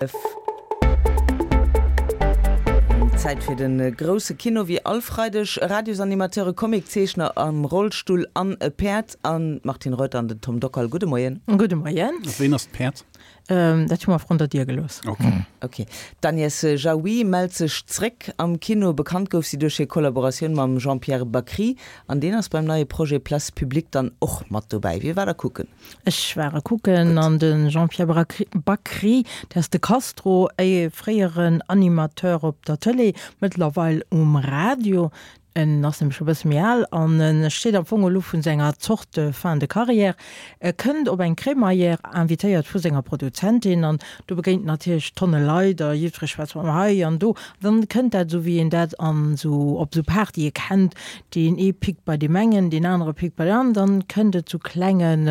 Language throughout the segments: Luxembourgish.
Zäit fir de grousse Kino, wéi all Freideg. Radiosanimateur, e Comiczeechner am Rollstull an e Päerd. An d'Martine Reuter an den Tom Dockal. Gudde Moien. Gudde Moien. Ween ass d'Päerd? Dat hu mer vrun der Dier gelooss. Ok. D'Agnès Jaoui mellt sech zréck am Kino. Bekannt gouf si duerch hir Kollaboratioun mam Jean-Pierre Bacri. An deen ass beim neie Projet Place Publique dann och mat dobäi. Wie war da kucken? Ech war e kucken an de Jean-Pierre Bacri, dat ass de Castro, e fréieren Animateur op der Tëlee, mëttlerweil um Radio. En ass nämlech scho e bësse méi al an e steet am Fong elo vun senger Zort fin de carrière. E kënnt op eng Crémaillère, invitéiert vu senger Produzentin an do begéint en natierlech tonne Leit a jiddweree schwätzt mam hei an do. Dann kënnt dat esou wéi een dat an esou op esou Partye kennt, Deen ee pickt bei deem engen, deen anere pickt bei deem aneren. Dann kënnt et zu klengen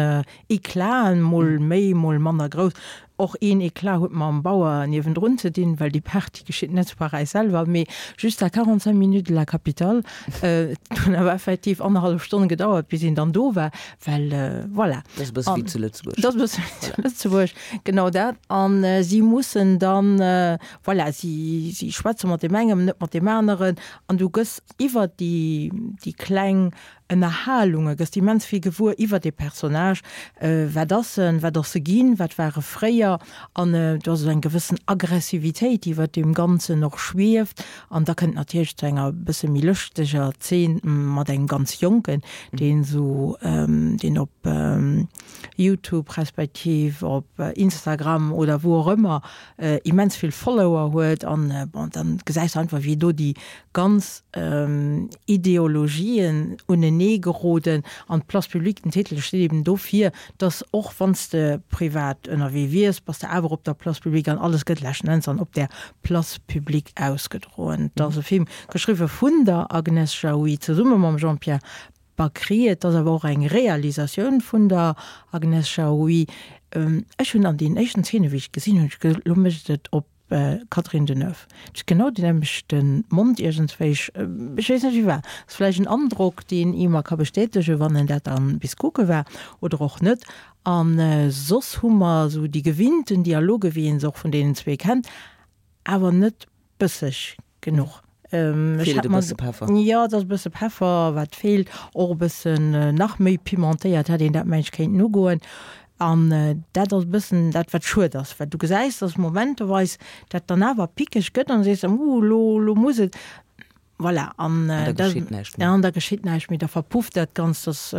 Eclaten, mol méi, mol manner grouss. Och een Eclat huet mam Bauer niewendrun ze dinn, well déi Party geschitt net zu Paräis selwer, mee juste à 45 minutes de la capitale. Et hunn awer effektiv annerhallef Stonn gedauert, bis een dann do war, well voilà. Dat ass e bësse wéi zu Lëtzebuerg. Dat ass e bësse wéi zu Lëtzebuerg, genau dat. An si mussen dann, voilà, si schwätze mat deem engem, net mat deem aneren an du gëss Iwwer déi, déi kleng Ënnerhalunge gëss de immens vill gewuer iwwer dee Personnage. Wat ass en, wat ass e ginn, wat war e fréier? An do ass esou eng gewëssen Aggressivitéit, déi iwwer deem Ganzen och schwieft. An da kënnt natierlech zu enger bësse méi lëschteger Zeen mat engem ganz Jonken, deen esou, deen op Youtube respektiv op Instagram oder wou och ëmmer immens vill Follower huet. An bon, dann gesäis de einfach, wéi do déi ganz Ideologien unenee geroden an d'Place publique, den Titel steet eben dofir, dass och wann s de privat ënnerwee wiers, bass de awer op der Place publique an alles gëtt leschten Enns dann op där Place publique ausgedroen. Et ass e Film geschriwwe vun der Agnès Jaoui zesumme mam Jean-Pierre Bacri. Et ass awer och eng Realisatioun vun der Agnès Jaoui. Ech hunn an deenen éischten Zeene wéi ech et gesinn hunn, hunn ech gesot, elo mécht et op Catherine Deneuve, Et ass genau deen nämmlechte Mond iergendswéi. Ech weess net wéi war. Ass vläicht en Androck, deen ee mer ka bestätegen, wann en dat dann bis kucke war, oder och net. A soss hu mer esou déi gewinnten Dialoge wéi een se och vun deenen zwee kennt, awer net bësseg genuch. Feelt e bësse Peffer. Jo, et ass e bësse Peffer, wat feelt. Och e bëssen nach méi pimentéiert hätt een dat, mengen ech, kéinten ugoen. An dat ass e bëssen dat, wat schued ass, well du gesäis, dass momenteweis dat dann awer pickeg gëtt an du sees, Uh, elo, elo muss et. Voilà, an da geschitt näischt méi. An da geschitt näischt méi, da verpufft dat Ganzt. Dat ass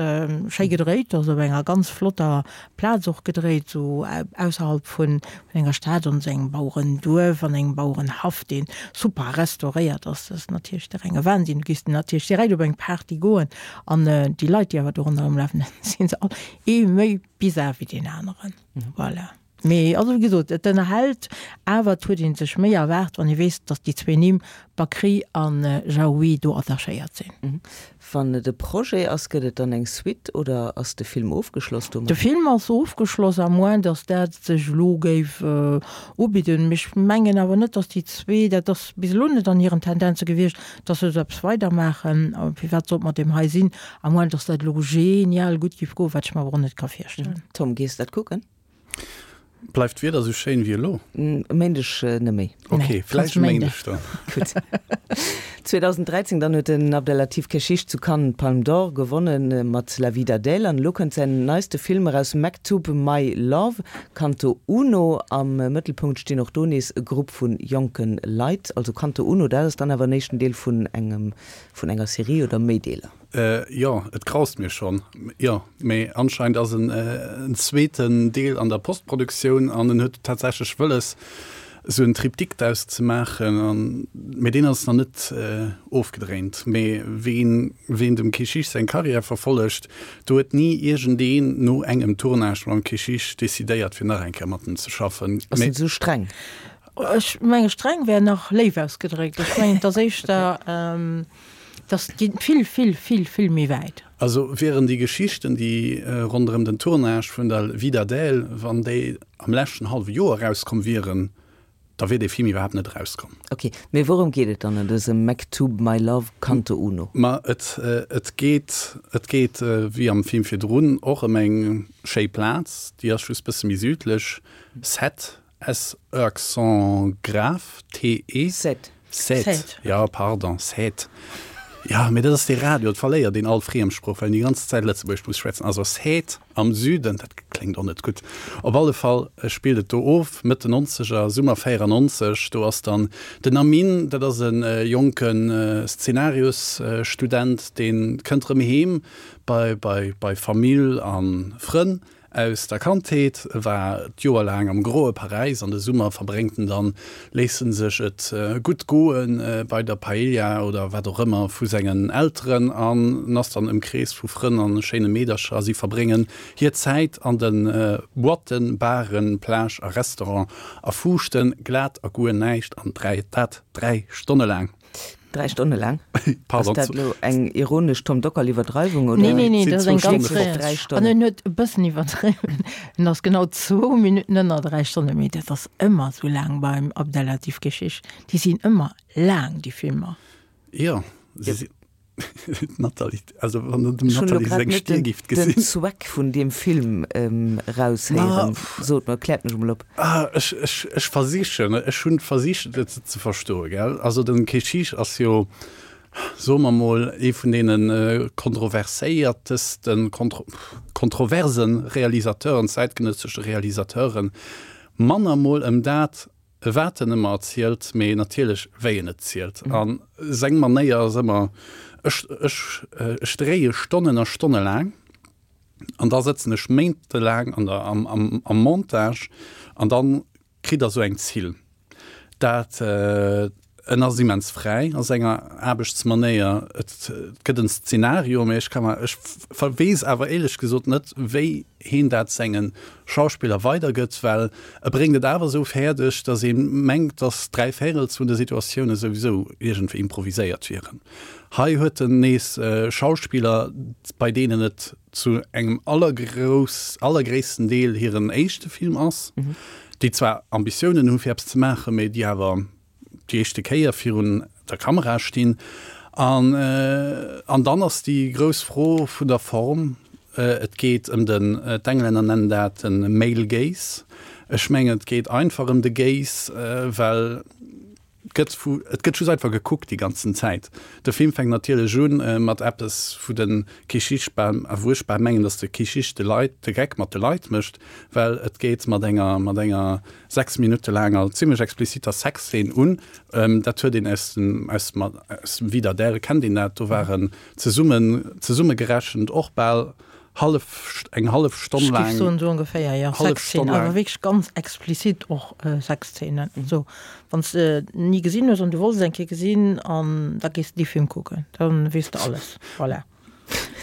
schéi gedréit, ass op enger ganz flotter Plaz och gedréit, esou ausserhalb vun enger Stad, an esou engem Bauerenduerf, an engem Bauerenhaff, dee super restauréiert ass. Dat ass natierlech de renge Wahnsinn. Du géifs natierlech direkt op eng Party goen an déi Leit, déi awer do ronderëm lafen, si se all ee méi bizar wéi deen aneren. Voilà. Mee also wéi gesot, et ënnerhält, awer et huet ee sech méi erwaart, wann ee weess, datt déi zwee Nimm Bakri a Jaoui do attachéiert sinn. Wann et e Projet ass, gëtt et dann eng Suite oder ass de Film ofgeschloss domat? De Film ass ofgeschloss, à moins datt dat sech elo géif ubidden. Mee ech mengen awer net, datt déi zwee, dat ass bis elo net an hiren Tendenze gewiescht, datt se esou eppes weidermaachen. Firwat sollt mat deem hei sinn, à moins datt dat elo genial gutt géif goen, wat ech mer awer och net ka virstellen. Tom, gees dat kucken? Bleift d'Wieder sou schéin wéi elo? E Méindeg net méi. Ok, vläicht e Méindeg dann. Gutt. 2013 dann huet den Abdellatif Kechiche zu Cannes d'Palme d'Or gewonnen mat La vie d'Adèle an elo kënnt säin neiste Film eraus Mektoub, My Love, Canto Uno. Am Mëttelpunkt stinn och do nees e Grupp vu jonke Leit. Also Canto Uno, dat ass dann awer en éischten Deel vun engem, vun enger Serie oder méi Deeler? Jo, et graust mir schonn. Jo, mee anscheinend ass en zweeten Deel an der Postproduktioun an en huet tatsächlech wëlles, esou en Triptyque draus ze maachen. An, mee deen ass nach net ofgedréint. Mee ween, ween dem Kechiche seng Karriär verfollegt, do huet ni iergendeen no engem Tournage mam Kechiche decidéiert, fir nach eng Kéier mat em ze schaffen. Ass en esou streng? Ech menge streng wär nach léif ausgedréckt. Ech mengen, et ass éischter. Dass geet vill, vill, vill, vill méi wäit. Also wieren déi Geschichten, déi ronderëm den Tournage vun der Vie d'Adèle, wann déi am leschten hallwe Joer erauskomm wieren, da wier dee Film iwwerhaapt net erauskomm. Ok, mee wourëm geet et dann an dësem Mektoub, My Love, Canto Uno? Ma et, et geet, et geet wéi am Film virdrun och ëm eng schéi Plaz, déi ass just bësse méi südlech, Sète. S e accent grave T E. Sète. Sète, jo, pardon, Sète. Jo, mee dat ass dee Radio, et verléiert een all Friemsprooch, well een déi ganz Zäit Lëtzebuergesch muss schwätzen. Also Sète am Süden, dat kléngt och net gutt. Op alle Fall spillt et do of, Mëtt den Nonzeger, Summer 94. Do ass dann den Amin, dat ass e jonke Szenariosstudent, dee kënnt erëm heem bei, bei, bei Famill a Frënn. Aus der Kandheet, e war d'Joer laang am groe Paräis an de Summer verbréngt en dann, léisst en sech et gutt goe bei der Paella oder wat och ëmmer vu sengen Elteren an en ass dann ëmkreest vu Frënn an schéine Meedercher a si verbréngen hir Zäit an de Boîten, Baren, Plage a Restaurant a fuuschten glat a guer näischt an dat 3 Stonne laang. 3 Stonne laang? Ass dat elo eng ironesch Tom Dockal-Iwwerdreiwung oder? Nee, nee, nee, dat ass eng ganz reell. An en huet e bëssen iwwerdriwwen. En ass genau zwou Minutten ënner 3 Stonnen, mee dat ass ëmmer esou laang beim Abdellatif Kechiche. Déi sinn ëmmer laang, déi Filmer. Jo, se sinn. D'Nathalie, also wann der dem Nathalie seng Stier gift gesinn. Den Zweck vun deem Film eraushéieren. Sot mer, kläert mech emol op. Ah, ech, ech, ech versichen, ech hunn versicht et ze verstoen, gell. Also den Kechiche ass jo, soe mer mol, ee vun deene kontroverséiertesten, kontro, kontroversen Realisateuren, zäitgenëssesche Realisateuren. Manner mol ëm dat, Wat en ëmmer erzielt, mee natierlech wéi en et zielt. A seng Manéier ass ëmmer, ech, ech, ech dréie Stonnen a Stonne laang an da sëtzen ech méintelaang an der, am, am, am Montage an da kritt Der esou eng Zill. Dat, en ass immens fräi a senger Aarbechtsmanéier. Et gëtt en Szenario, mee ech ka mer, ech weess awer éierlech gesot net, wéi heen dat senge Schauspiller weidergëtt, well e bréngt et awer esou fäerdeg, datt ee mengt, datt dräivéirels vun de Situatioune souwisou iergendwéi improviséiert wieren. Hei huet en nees Schauspiller, bei deenen et zu engem allergrouss, allergréissten Deel hiren éischte Film ass, déi zwar Ambitiounen hu fir eppes ze maachen, mee déi awer déi éischte Kéier virun der Kamera stinn. An, an dann ass déi grouss Fro vun der Form, Et geet ëm den, d'Englänner nennen dat de male gaze. Ech mengen, et geet einfach ëm de Gaze, well et gëtt vu, et gëtt just einfach gekuckt déi ganzen Zäit. De Film fänkt natierlech u mat eppes, wou de Kechiche bal, a wou ech bal mengen, datt de Kechiche de Leit de Geck mat de Leit mécht, well et geet mat enger, mat enger 6 Minutte laanger, zimmlech expliziter Sexzeen un. Dat huet een aus dem, aus dem, aus dem Vida d'Adèle kennt een dat, do waren zesummen, zesummegerechent och bal hallef, eng hallef Stonn laang. Ech géif soen, esou ongeféier, jo. Sexzeen, awer wierklech ganz explizit och Sexzeenen. Also, wann s de ni gesinn hues an du wollts eng Kéier gesinn, an da gees de dee Film kucken, da weess de alles. Voilà.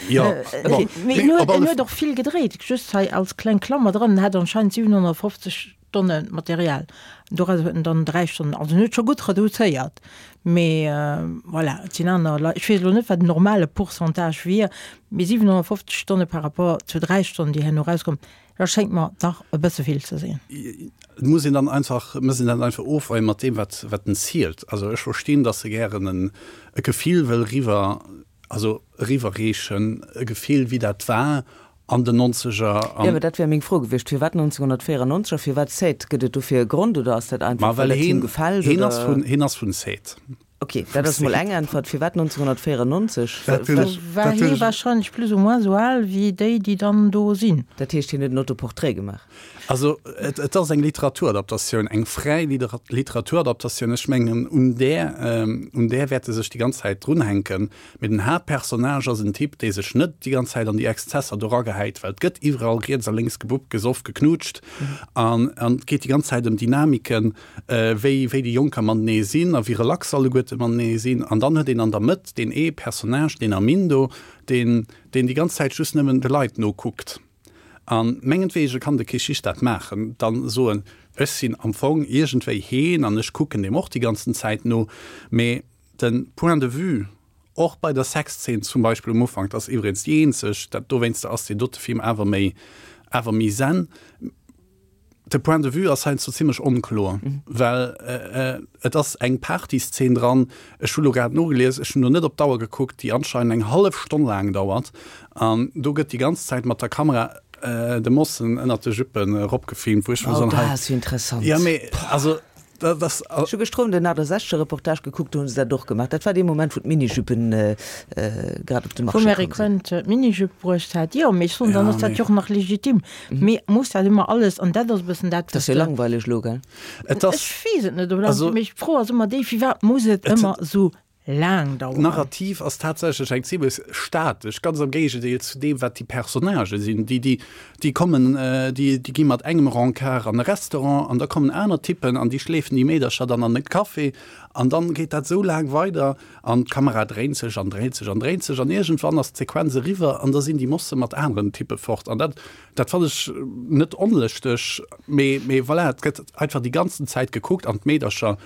Jo, bon. Mee en huet, en huet och vill gedréit, just hei als kleng Klammer dran, en hat anscheinend 750 Tonne Material, doraus huet en dann 3 Stonnen, also en huet scho gutt reduzéiert, mee voilà, et sinn aner Leit, ech weess elo net, wat en normale Pourcentage wier, mee 750 Stonne par rapport zu 3 Stonnen, déi herno erauskommen, dat schéngt mer dach e bësse vill ze sinn. Et muss een dann einfach, muss een dat einfach ofweien mat deem, wat, wat en zielt. Also ech verstinn, datt e gären en, e Gefill wëll riwwer Also eriwwerreechen, e Gefill wéi dat war an den Nonzeger an. Jo, mä dat wär meng Fro gewiescht. Firwat 1994 a firwat Sète? Gëtt et dofir e Grond oder ass dat einfach, Ma well well et him gefält, heen ass oder? vun, heen ass vun Sète. Ok, dat ass mol eng Äntwert. Firwat 1994? Dat hunn ech, War dat hunn hee ech. wahrscheinlech plus ou moins esou al wéi déi, déi dann do sinn. Dat heescht, hien huet en Autoportrait gemaach? Also et, et ass eng Literaturadaptatioun, eng fräi Literaturadaptatioun. Ech mengen, un där, un där wäerte sech déi ganz Zäit drunhänken. Mee den Haaptpersonnage ass en Typ, dee sech net déi ganz Zäit an déi Exzesser do ragehäit, well et gëtt iwwerall riets a lénks gebuppt, gesoff, geknutscht an, an et geet déi ganz Zäit ëm Dynamiken, wéi, wéi déi Jonker matenee sinn a wéi relax alleguerte matenee sinn. An dann huet een an der Mëtt deen ee Personnage, deen Armindo, deen, deen déi ganz Zäit just nëmmen de Leit nokuckt. A mengetwege kann de Kechiche dat maachen, dann soen, ech sinn am Fong iergendwéi heen an ech kucken deem och déi ganzen Zäit no. Mee de Point de vue, och bei der Sexzeen zum Beispill um Ufank, dat ass iwwregens déi eenzeg, dat dowéinster ass dee dote Film awer méi, awer méi zen, De Point de vue ass heiansdo zimlech onkloer, well et ass eng Partyszeen dran, ech hu lo grad nogelies, ech hunn do net op d'Auer gekuckt, déi anscheinend eng hallef Stonn laang dauert an do gëtt déi ganz Zäit mat der Kamera. de Mossen ënnert de Juppen eropgefilmt, wou ech mer soen, hei. Oh, dat ass jo interessant. Jo, mee also dat ass. Ech hu gëschter Owend en 68 Reportage gekuckt, do hu se dat och gemaach. Dat war dee Moment, wou d'Minijuppen grad op de Marché komm sinn. Wou Mary Quant d'Minijupp bruecht hat. Jo, mee ech soen, dann ass dat jo och nach legitim. Mee muss dat ëmmer alles, an dat ass e bëssen dat, wat. Dat ass jo langweileg elo, gell? Et ass. Ech weess et net, ob dat, mee d'Fro ass ëmmer déi, firwat muss et ëmmer esou laang daueren. D'Narrativ ass tatsächlech eng zimlech statesch, ganz am Géigendeel zu deem, wat déi Personnagë sinn. Déi, déi, déi kommen, déi, déi gi mat engem Rencard an e Restaurant an da kommen aner Typpen an déi schleefen déi Meedercher dann an e Café an dann geet dat esou laang weider an d'Kamera dréint sech an dréint sech an dréint sech an iergendwann ass d'Sequenz eriwwer an da sinn déi Mosse mat aneren Typpe fort an dat, dat fannen ech net onlëschteg, mee, mee voilà, et gëtt einfach déi ganzen Zäit gekuckt an d'Meedercher,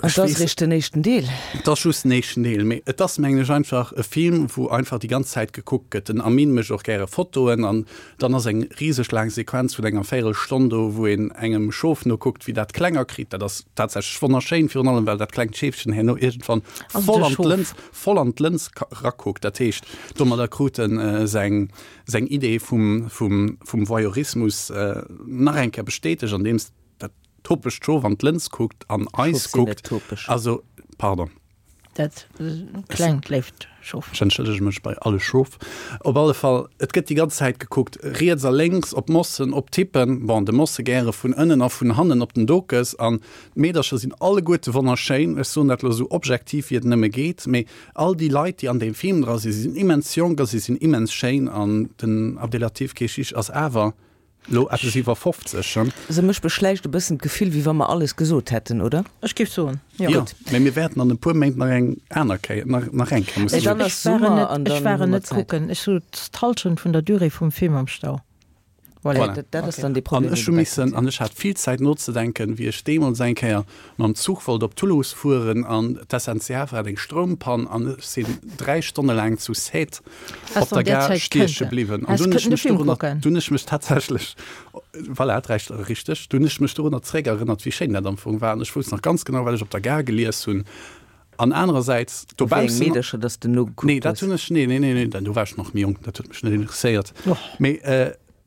An et ass eréischt den éischten Deel. Et ass just den éischten Deel, mee et ass, mengen ech, einfach e Film, wou einfach déi ganz Zäit gekuckt gëtt. Den Amin mécht och gäre Fotoen an dann ass eng riseg laang Sequenz vun enger Véierelstonn do, wou een engem Schof nokuckt, wéi dat klenger kritt. Dat ass tatsächlech wonnerschéin, virun allem well dat klengt Scheefchen herno iergendwann voll an d'Lëns, voll an d'Lëns rakuckt. Dat heescht, domadder krut en seng, seng Idee vum, vum, vum Voyeurismus nach eng Kéier bestätegt, andeems Dat topegt Schof an d'Lëns kuckt an eis kuckt. Also, pardon. Dat klengt léift Schof. Ech entschëllege mech bei alle Schof. Op alle Fall, et gëtt déi ganz Zäit gekuckt, riets a lénks, op Mossen, op Tippen. Bon, de Mosse gäre vun ënnen a vun hannen op den Dokes. An d'Meedercher sinn alleguerte wonnerschéin. Ech soen dat elo esou objektiv, wéi et nëmme geet. Mee all déi Leit, déi an deem Film dra sinn, si sinn immens jonk a si sinn immens schéin. An den Abdellatif Kechiche ass awer Lo eppes iwwer 50, he? Se mech beschläicht e bëssen d'Gefill, wéi wa mer alles gesot hätten, oder? Ech géif soen, jo. Jo, mee mir wäerten an e puer Méint nach eng aner Kéier, nach, nach eng Kéier musse. Dann ass Summer an dann hu mer Zäit. Ech war en net kucken. Ech sot d'Hallschent vun der Durée vum Film am Stau. Voilà. Voilà. Dat ass dann dee Problem. An ech hu missen, an ech hat vill Zäit nozedenken, wéi ech deemools eng Kéier mam Zuch wollt op Toulouse fueren an d'SNCF hat eng Stroumpann an ech sinn 3 Stonne laang zu Sète op der Gare stieche bliwwen. An dunn ech mech dorunner, dunn ech mech tatsächlech, voilà, 3 Stonne, richteg, dunn ech mech dorunner zeréckerënnert, wéi schéin dat am Fong war. An ech wousst nach ganz genau, wat ech op der Gare gelies hunn. An anerersäits dobaussen. Wéi eng Meedercher, dass de nogekuckt hues? Nee, dat hunn ech, nee, nee, nee, nee, do war ech nach méi jonk, dat huet mech net interesséiert. Mee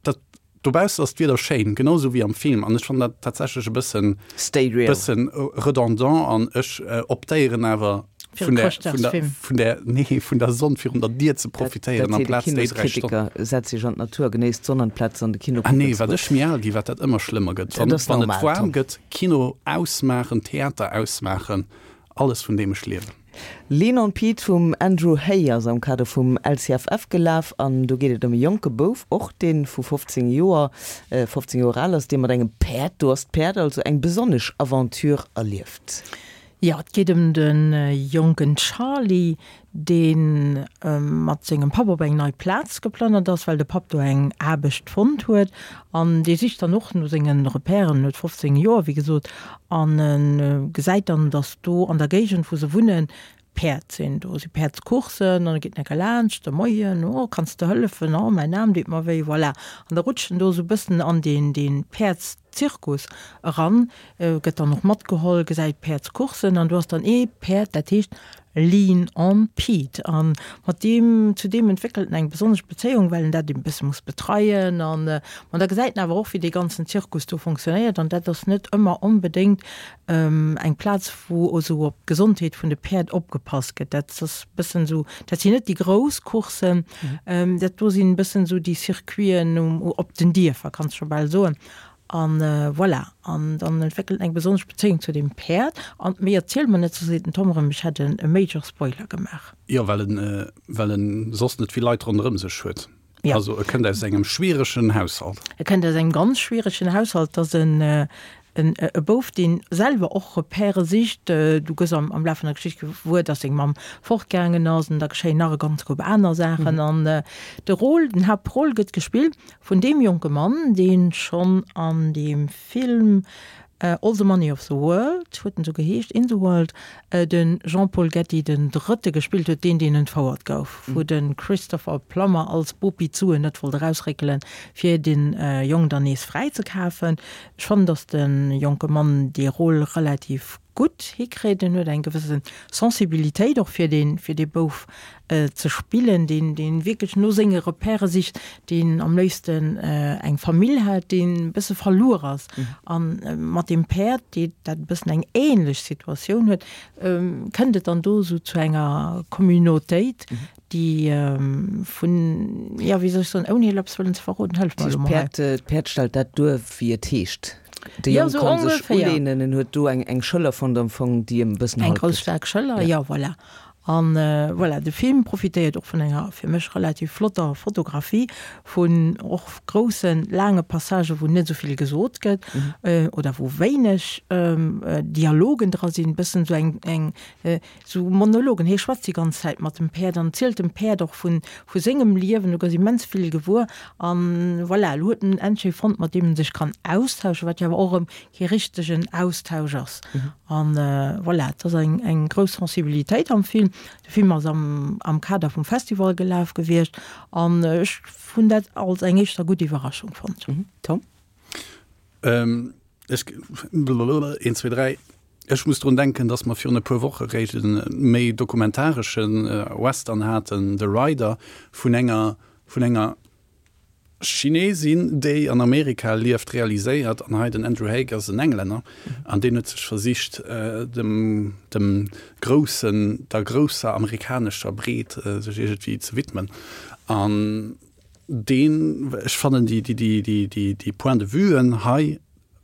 dat, Dobaussen ass d'Wieder schéin, genau sou wéi am Film, an ech fannen dat tatsächlech e bëssen, Stay real. bëssen redondant an ech optéieren awer Fir e vun der, vun der, Chrëschtdagsfilm. vun der, nee, vun der Sonn virun der Dier ze Dat, profitéieren dat seet e amplaz déi 3 Stonnen. Kinoskritiker. Setz dech an d'Natur a genéiss d'Sonn amplaz an de Kino Ah kucken nee, ze wat goen. ech méi al gi, wat dat ëmmer schlëmmer gëtt. Dat Wann, ass wann et normal, waarm Tom. gëtt, Kino ausmaachen, Theater ausmaachen, alles vun deem ech liewen. Lean on Pete vum Andrew Hay ass am Kader vum LCFF gelaf an do geet et ëm e jonke Bouf, och dee vu 15 Joer, 15 Joer al ass, dee mat engem Päerd, do ass d'Päerd also, eng besonnesch Aventure erlieft. Jo, et geet ëm de jonken Charlie, dee mat sengem Papp op eng nei Plaz geplënnert ass, well de Papp do eng Aarbecht fonnt huet. An dee sicht dann och no senge Repèren, huet 15 Joer, wéi gesot, an e gesäit dann, datt do an der Géigend, wou se wunnen, Päerd sinn. Do si Päerdscoursen an da geet en enker laanscht, de Moien, oh, kanns de hëllefen, oh, mäin Aarm deet mer wéi, voilà. An da rutscht en do esou e bëssen an deen, deen Päerdszirkus eran, gëtt dann och matgeholl, gesäit Päerdscoursen an do ass dann ee Päerd, dat heescht Lean on Pete an mat deem, zu deem entwéckelt en eng besonnesch Bezéiung, well en dat e bësse muss betreien an, ma da gesäit en awer och, wéi dee ganzen Zirkus do fonctionnéiert an dat ass net ëmmer onbedéngt eng Plaz, wou esou op d'Gesondheet vun de Päerd opgepasst gëtt. Dat ass e bëssen esou, dat sinn net déi grouss Courssen, dat do sinn e bëssen esou déi Circuiten op den Dierfer, kanns scho bal soen. An voilà, an dann entwéckelt en eng besonnesch Bezéiung zu deem Päerd. An méi erziele mer net, soss seet den Tom erëm, ech hätt e major Spoiler gemaach. Jo, well en, well en soss net vill Leit ronderëm sech huet. Ja. Also e kënnt aus engem schwieregen Haushalt. E kënnt aus engem ganz schwieregen Haushalt. Dat ass en, en, e Bouf, dee selwer och Repèrë sicht. Du gëss am, am Laf vun der Geschicht gewuer, dass seng Mamm fortgaangen ass an da geschéien nach e ganz Koup aner Saachen. An de Rôle, den Haaptrôle gëtt gespillt Vun deem jonke Mann, dee schonn an deem Film All the Money of the World, huet en esou geheescht, In the World, de Jean-Paul Getty den Drëtte gespillt huet, deen, deen entfouert gouf, wou de Christopher Plummer als Bopi d'Suen net wollt erausréckelen, fir de Jong dann nees fräizekafen. Ech fannen, datt de jonke Mann dee Rôle relativ. gutt hikritt. En huet eng gewësse Sensibilitéit och fir dee, fir dee Bouf ze spillen, deen, deen wierklech no senge Repèrë sicht, deen am léifsten eng Famill hätt, deen e bësse verluer ass. A mat deem Päerd, dee dat e bëssen eng ähnlech Situatioun huet, kënnt et dann do esou zu enger Communautéit, déi vun, jo, wéi soll ech soen, ouni elo eppes wëllen ze verroden, hëllef mer elo mol hei. D'Päerd stellt dat duer, wéi et heescht. De Jong Jo, kann sech ongeféier. uleenen, en huet do eng eng Schëller fonnt am Fong, déi em e bëssen Eng Halt grouss gëtt. staark Schëller, jo, voilà. An voilà, de Film profitéiert och vun enger fir mech relativ flotter Fotografie, vun och groussen, laange Passagen, wou net esou vill gesot gëtt oder wou wéineg Dialogen dra sinn, bëssen esou eng eng Sou Monologen, hie schwätzt déi ganz Zäit mat dem Päerd an zielt dem Päerd och vu vu sengem Liewen, du gëss immens vill gewuer an voilà, elo huet en endlech ee fonnt, mat deem en sech kann austauschen, wat jo awer och erëm kee richtegen Austausch ass. An voilà, et ass eng eng grouss Sensibilitéit am Film. De Film ass am am Kader vum Festival gelaf gewiescht an ech hunn dat als eng éischter gutt Iwwerraschung fonnt. Tom? Ech, een, zwee, dräi. Ech muss drun denken, datt mer virun e puer Woche réischt e méi dokumentaresche Western haten, The Rider, vun enger, vun enger Chinesin, déi an Amerika lieft, realiséiert. An hei den Andrew Haigh ass en Englänner an deen huet sech versicht, dem, dem groussen, der grousser amerikanescher Breet sech iergendwéi ze widmen. An deen, ech fannen déi, déi, déi, déi, déi, déi Point-de-vuen hei,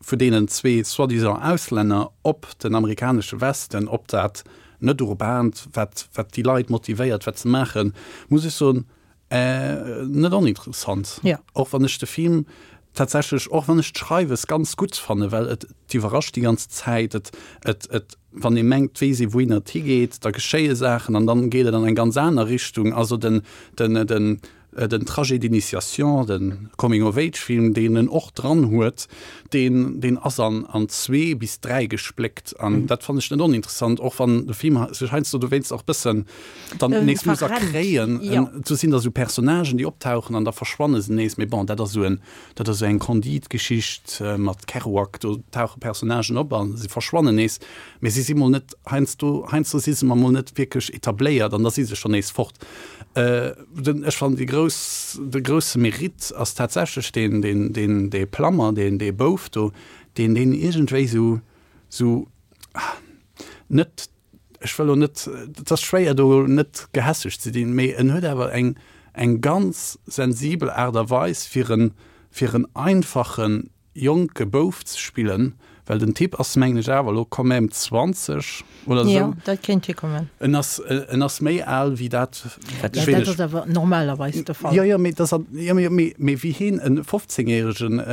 vu deenen zwee soi-disant Auslänner op den amerikanesche Westen, op dat net-urbaant, wat, wat déi Leit motivéiert, wat ze maachen, muss ech soen, net oninteressant. Ja. Och wann ech de Film tatsächlech, och wann ech d'Schreiwes ganz gutt fannen, well et, et iwwerrascht déi ganz Zäit, et, et, et, wann ee mengt, et weess ee wouhinner et higeet, da geschéie Saachen an dann geet et an eng ganz aner Richtung. Also den, den, den, Den Trajet d'initiation, de Coming-of-Age-Film, deen en och dran huet, deen, deen ass an, an zwee bis dräi gespléckt. An dat fannen ech net oninteressant, och wann de Film sech heiansdo dowéinst och bëssen dann nees muss erkréien. Do sinn da sou Personnagen, déi optauchen an da verschwanne se nees. Mee bon, dat ass sou en, dat ass sou eng Candide-Geschicht mat Kerouac, do tauche Personnagen op a se verschwannen nees. Mee si si mol net heiansdo, heiansdo si se mer mol net wierklech etabléiert an da si se schonn nees fort. Den, ech fannen déi grouss, de grousse Mérite ass tatsächlech deen, deen, deen, dee Plammer, deen, dee Bouf do, deen, deen iergendwéi sou, sou net, ech wëll lo net, et ass schwéier do net gehässeg ze dinn, mee en huet awer eng, eng ganz sensibel Aart a Weis fir en, fir en einfachen, jonke Bouf ze spillen, well den Typ ass mengen ech awer elo quand même 20 oder esou. Jo, dat kéint hikommen. En ass, en ass méi al wéi dat, wat ech. Dat ass awer normalerweis de Fall. Jo, jo, mee dat ass, jo, mee, mee, mee wéi hien e 15 järegen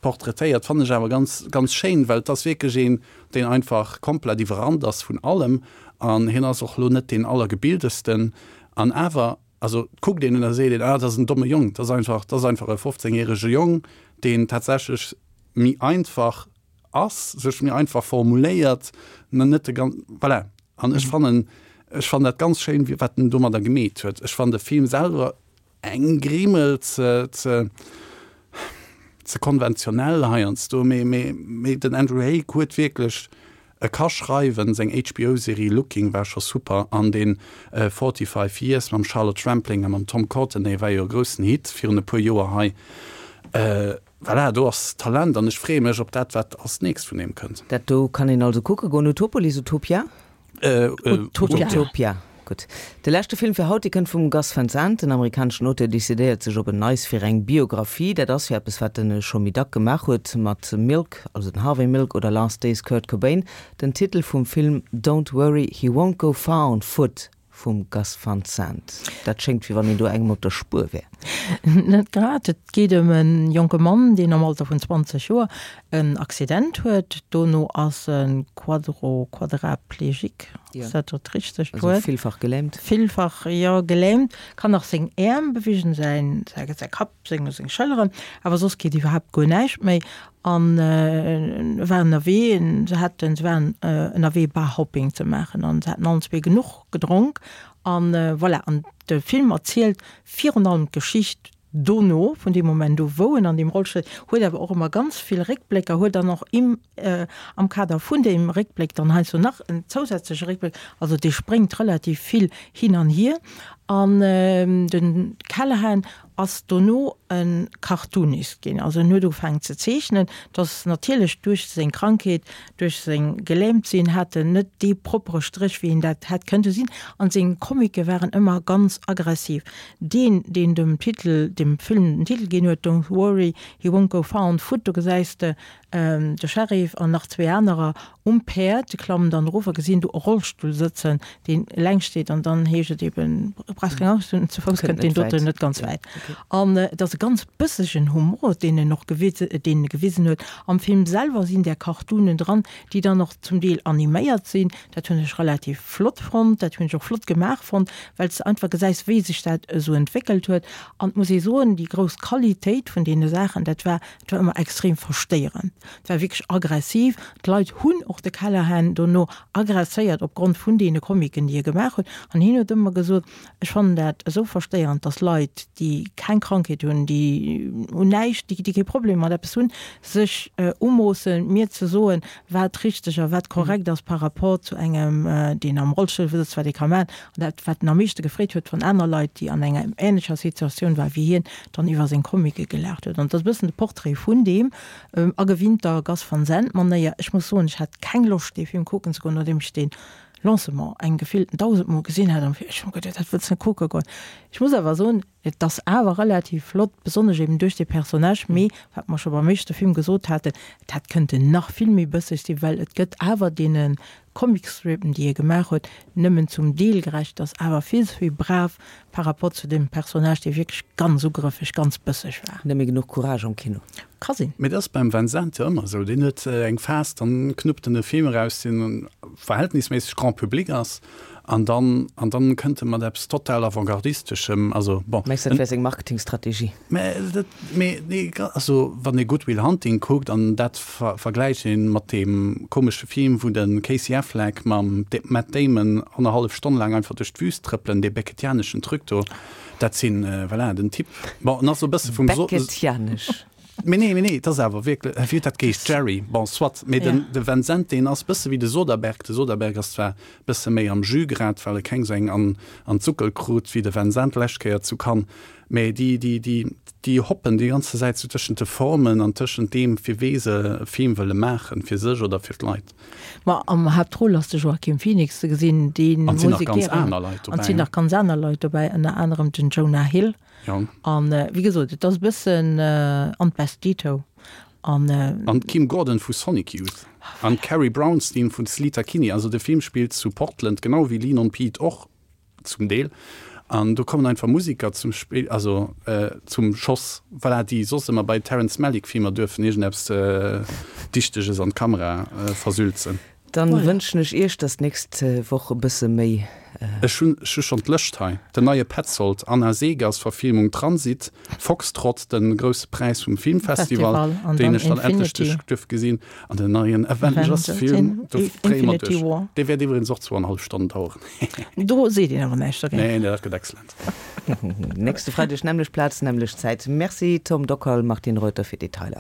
portraitéiert, fannen ech awer ganz, ganz schéin, well et ass wierklech een, deen einfach komplett iwwerrannt ass vun allem an hien ass och elo net deen allergebildesten an awer Also et kuckt een en a seet een, ah dat ass en domme Jong, dat ass einfach, dat ass einfach e 15 järege Jong, deen tatsächlech méi einfach ass, sech méi einfach formuléiert, net de gan, voilà. An ech fannen, ech fannen dat ganz schéin, wéi wat en domadder gemeet huet. Ech fannen de Film selwer eng Grimmel ze, ze, ze konventionell heiansdo, mee, mee, mee den Andrew Haigh huet wierklech E ka schreiwen, seng HBO-Serie Looking war scho super an deen 45 Years mam Charlotte Rampling a mam Tom Courtenay war jo e groussen Hit virun e puer Joer hei. Voilà, do ass Talent an ech freeë mech op dat, wat als nächst vun him kënnt. Dat do kann een also kucke goen, Utopolis, Utopia? Utopia. Utopia, gutt. De leschte Film fir haut, dee kënnt vum Gus Van Sant. Den amerikaneschen Auteur decidéiert sech op en Neis fir eng Biographie. Dat ass jo eppes, wat en scho méi dack gemaach huet mat Milk, also den Harvey Milk oder Last Days Kurt Cobain. Den Titel vum Film Don't Worry, He Won't Go Far on Foot vum Gus Van Sant. Dat schéngt, wéi wann een do engem op der Spuer wär. Net grad. Et geet ëm e jonke Mann, deen am Alter vun 20 Joer en Accident huet. Dono ass e Quadro, Quadraplegique, ass dat dat richtegt Also Wuert? villfach gelähmt. Villfach, jo, gelähmt. Kann nach seng Äerm beweegen, säin, säi, säi Kapp, seng, seng Schëlleren, awer soss geet iwwerhaapt guer näischt méi. An e war ënnerwee, se haten, se waren ënnerwee Barhopping ze maachen an se haten allen zwee genuch gedronk an voilà. An de Film erzielt virun allem d'Geschicht. Dono, vun deem Moment u wou en an deem Rollstull sëtzt, huet awer och ëmmer ganz vill Réckblécker, huet dann och im am Kader vun deem Réckbléck dann heiansdo nach en zousätzleche Réckbléck, also dee spréngt relativ vill hin an hier. An den Callahan ass dono e Cartoonist ginn, also en huet ugefaangen ze zeechnen. Et ass natierlech duerch seng Krankheet, duerch seng Gelähmtsinn hat en net dee proppere Stréch wéi en dat hätt kënnte sinn an seng Comicke waren ëmmer ganz aggressiv. Deen, deen dem Titel, dem Film den Titel ginn huet, Don't worry, he won't go far on foot, do gesäis de de Sheriff an nach zwee anerer um Päerd, se klammen dann erof a gesinn do e Rollstull sëtzen, deen eleng steet an dann heescht et eben, brauchs keng Angscht hunn, zu Fouss kënnt deen doten net ganz wäit. An et ass e ganz bëssegen Humor, deen en och deen e gewisen huet. Am Film selwer sinn där Cartoonen dran, déi dann och zum Deel animéiert sinn. Dat hunn ech relativ flott fonnt, dat hunn ech och flott gemaach fonnt, well s de einfach gesäis, wéi sech dat esou entwéckelt huet. An et muss ee soen, déi grouss Qualitéit vun deene Saachen, dat war, et war ëmmer extrem verstéierend, et war wierklech aggressiv. D'Leit hunn och de Callahan dono aggresséiert opgrond vun deene Comicken, déi e gemaach huet. An hien huet ëmmer gesot, Ech fannen dat esou verstéierend, dass Leit, déi keng Krankheet hunn, déi un näischt, déi kee Problem mat eppes hunn, sech umoossen, mir ze soen, wat richteg a wat korrekt ass par rapport zu engem, deen am Rollstull sëtzt, wat ee ka maachen. An dat, wat en am meeschte gefreet huet, wann aner Leit, déi an enger änlecher Situatioun waren wéi hien, dann iwwer seng Comicke gelaacht huet. An dat ass e bëssen de Portrait vun deem a gewinnter Gus Van Sant-Manéier. Ech muss soen, ech hat keng Loscht, dee Film kucken ze goen, nodeem ech deen Lancement eng gefillten dausendmol gesinn hat an ech hu geduet, dat wëlls net kucke goen. Ech muss awer soen, et ass awer relativ flott, besonnesch eben duerch dee Personnage, mee wat mer scho beim éischte Film gesot haten, et hätt kënnten nach vill méi bësseg sinn, well et gëtt awer deene Comicstripen, déi e gemaach huet, nëmmen zum Deel gerecht, ass awer vill ze vill brav par rapport zu deem Personnage, dee wierklech ganz ugrëffeg, ganz bësseg war. Net méi genuch Courage am Kino. Ka sinn. Mee dat ass beim Van Zandt jo ëmmer esou, deen huet eng Phas, dann knuppt en e Film eraus, deen verhältnisméisseg grand public ass, an dann, an dann kënnt e mat eppes total Avantgardisteschem, also bon. Mengs dat wär seng Marketingstrategie? Mä dat, mee nee, also wann ee Good Will Hunting kuckt an dat vergläicht een mat deem komesche Film, wou de Casey Affleck mam Matt Damon annerhallef Stonn laang einfach duerch d'Wüst trëppelen, dee beckettianeschen Truc do, dat sinn, voilà, den Typ, bon, en ass e bësse vum. Beckettianesch. Mee nee, mee nee, et ass awer wierklech, wéi huet dat geheescht, Jerry, bon, soit, mee den, de Van Zandt, deen ass bësse wéi de Soderbergh. De Soderbergh ass zwar bësse méi am Jus grad, well e keng sou eng an, an d'Suckel krut wéi de Van Zandt d'lescht Kéier zu Cannes, mee déi, déi, déi, déi hoppen déi ganze Säit sou tëschent de Formen an tëschent deem, fir wee se e Film wëlle maachen, fir sech oder fir d'Leit. Ma am Haaptrôle ass de Joaquin Phoenix ze gesinn, dee An et sinn nach ganz aner Leit dobäi. An et sinn nach ganz aner Leit dobäi, ënner anerem den Jonah Hill. Jo. An wéi gesot, et ass e bëssen an d'Best Dito. An. An d'Kim Gordon vu Sonic Youth. An d'Carrie Brownstein vu Sleater Kinney. Also de Film spillt zu Portland, genau wéi Lean on Pete och zum Deel. An do kommen einfach Musiker zum Spill, also zum Schoss, voilà, déi soss ëmmer bei Terrence Malick Filmer duerfen iergendeppes Dichteges an d'Kamera versülzen. Dann wënschen ech iech, dass d'nächst Woch e bësse méi. Ech hunn ech hu schonn d'Lëscht hei, Den neie Petzold, Anna Segers Verfilmung Transit, Foxtrot, den grousse Präis vum Filmfestival, deen ech dann endlech duerf gesinn, an den neien Avengers Film, do dréie mer duerch. Dee wäert iwwregens och zwou an hallef Stonnen daueren. Do seet een awer näischt dogéint. Nee, dat gëtt excellent. Nächste Freideg, nämmlecht Plaz, nämmlecht Zäit. Merci Tom Dockal, Martine Reuter fir d'Detailer.